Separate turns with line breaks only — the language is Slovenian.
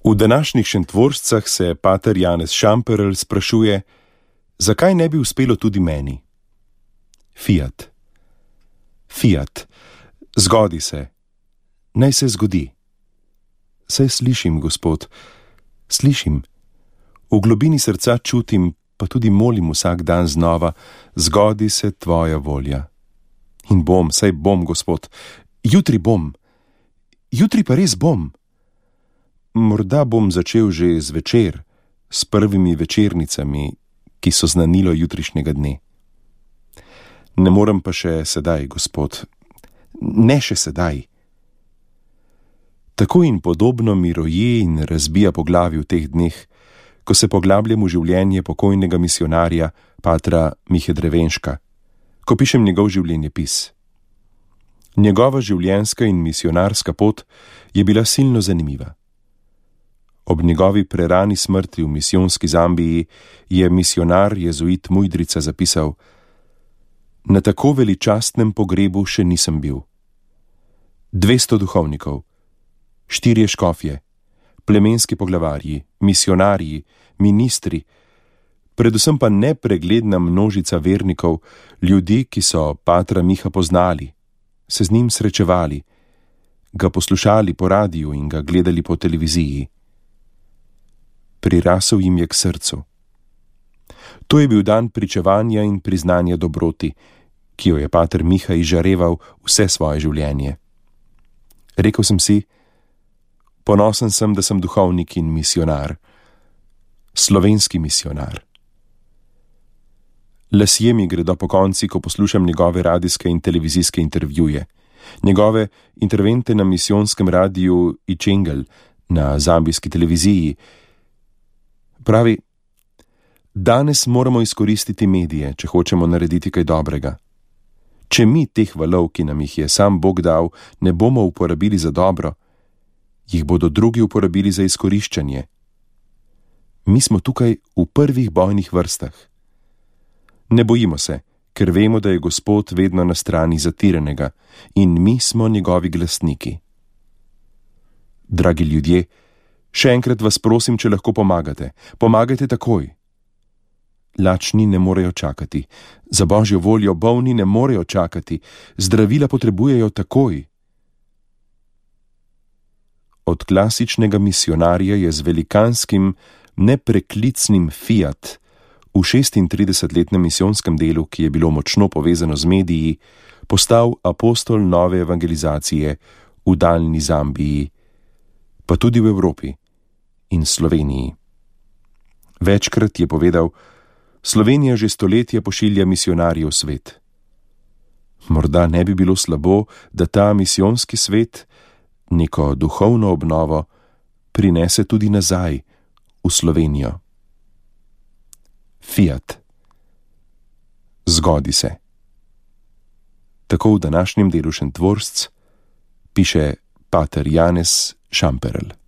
V današnjih Šentvorscah se pater Janez Šamperl sprašuje, zakaj ne bi uspelo tudi meni? Fiat. Fiat. Zgodi se. Naj se zgodi. Saj slišim, Gospod, slišim. V globini srca čutim, pa tudi molim vsak dan znova, zgodi se tvoja volja. In bom, saj bom, Gospod. Jutri bom. Jutri pa res bom. Morda bom začel že zvečer, s prvimi večernicami, ki so znanilo jutrišnjega dne. Ne morem pa še sedaj, Gospod. Ne še sedaj. Tako in podobno mi roje in razbija po glavi v teh dneh, ko se poglabljam v življenje pokojnega misionarja, patra Mihe Drevenška, ko pišem njegov življenjepis. Njegova življenjska in misionarska pot je bila silno zanimiva. Ob njegovi prerani smrti v misijonski Zambiji je misionar jezuit Mujdrica zapisal: Na tako veličastnem pogrebu še nisem bil. 200 duhovnikov, 4 škofje, plemenski poglavarji, misionarji, ministri, predvsem pa nepregledna množica vernikov, ljudi, ki so patra Miha poznali, se z njim srečevali, ga poslušali po radiju in ga gledali po televiziji. Prirasel jim je k srcu. To je bil dan pričevanja in priznanja dobroti, ki jo je pater Miha izžareval vse svoje življenje. Rekel sem si, ponosen sem, da sem duhovnik in misionar. Slovenski misionar. Lasje mi gredo pokonci, ko poslušam njegove radijske in televizijske intervjuje, njegove intervente na misijonskem radiju Ičengel, na zambijski televiziji. Pravi, danes moramo izkoristiti medije, če hočemo narediti kaj dobrega. Če mi teh valov, ki nam jih je sam Bog dal, ne bomo uporabili za dobro, jih bodo drugi uporabili za izkoriščanje. Mi smo tukaj v prvih bojnih vrstah. Ne bojimo se, ker vemo, da je Gospod vedno na strani zatiranega in mi smo njegovi glasniki. Dragi ljudje, še enkrat vas prosim, če lahko pomagate. Pomagajte takoj. Lačni ne morejo čakati. Za Božjo voljo bolni ne morejo čakati. Zdravila potrebujejo takoj. Od klasičnega misionarja je z velikanskim, nepreklicnim fiat v 36-letnem misijonskem delu, ki je bilo močno povezano z mediji, postal apostol nove evangelizacije v daljni Zambiji, pa tudi v Evropi in Sloveniji. Večkrat je povedal, Slovenija že stoletja pošilja misionarje v svet. Morda ne bi bilo slabo, da ta misijonski svet, neko duhovno obnovo, prinese tudi nazaj v Slovenijo. Fiat. Zgodi se. Tako v današnjem delu Šentvorsc piše pater Janez Šamperl.